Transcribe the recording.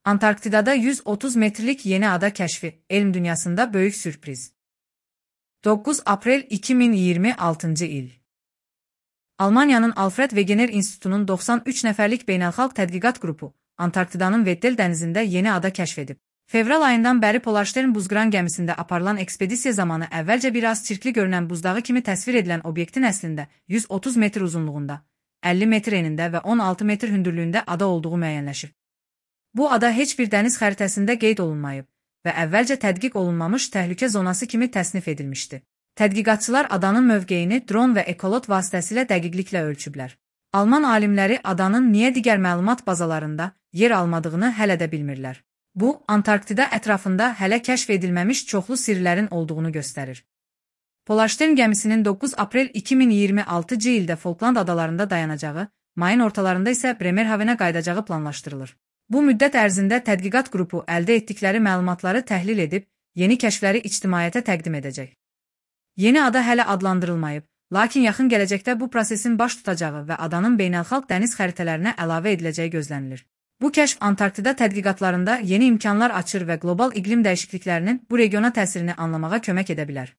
Antarktidada 130 metrlik yeni ada kəşfi, elm dünyasında böyük sürpriz. 9 Aprel 2026 il. Almaniyanın Alfred Wegener İnstitutunun 93 nəfərlik beynəlxalq tədqiqat qrupu Antarktidanın Weddell dənizində yeni ada kəşf edib. Fevral ayından bəri Polarstern buzqıran gəmisində aparılan ekspedisiya zamanı əvvəlcə biraz çirkli görünən buzdağı kimi təsvir edilən obyektin əslində 130 metr uzunluğunda, 50 metr enində və 16 metr hündürlüyündə ada olduğu müəyyənləşib. Bu ada heç bir dəniz xəritəsində qeyd olunmayıb və əvvəlcə tədqiq olunmamış təhlükə zonası kimi təsnif edilmişdi. Tədqiqatçılar adanın mövqeyini dron və ekolot vasitəsilə dəqiqliklə ölçüblər. Alman alimləri adanın niyə digər məlumat bazalarında yer almadığını hələ də bilmirlər. Bu, Antarktida ətrafında hələ kəşf edilməmiş çoxlu sirlərin olduğunu göstərir. Polarstern gəmisinin 9 Aprel 2026 ildə Falkland adalarında dayanacağı, mayın ortalarında isə Bremerhavenə qayıdacağı planlaşdırılır. Bu müddət ərzində tədqiqat qrupu əldə etdikləri məlumatları təhlil edib, yeni kəşfləri ictimaiyyətə təqdim edəcək. Yeni ada hələ adlandırılmayıb, lakin yaxın gələcəkdə bu prosesin baş tutacağı və adanın beynəlxalq dəniz xəritələrinə əlavə ediləcəyi gözlənilir. Bu kəşf Antarktida tədqiqatlarında yeni imkanlar açır və qlobal iqlim dəyişikliklərinin bu regiona təsirini anlamağa kömək edə bilər.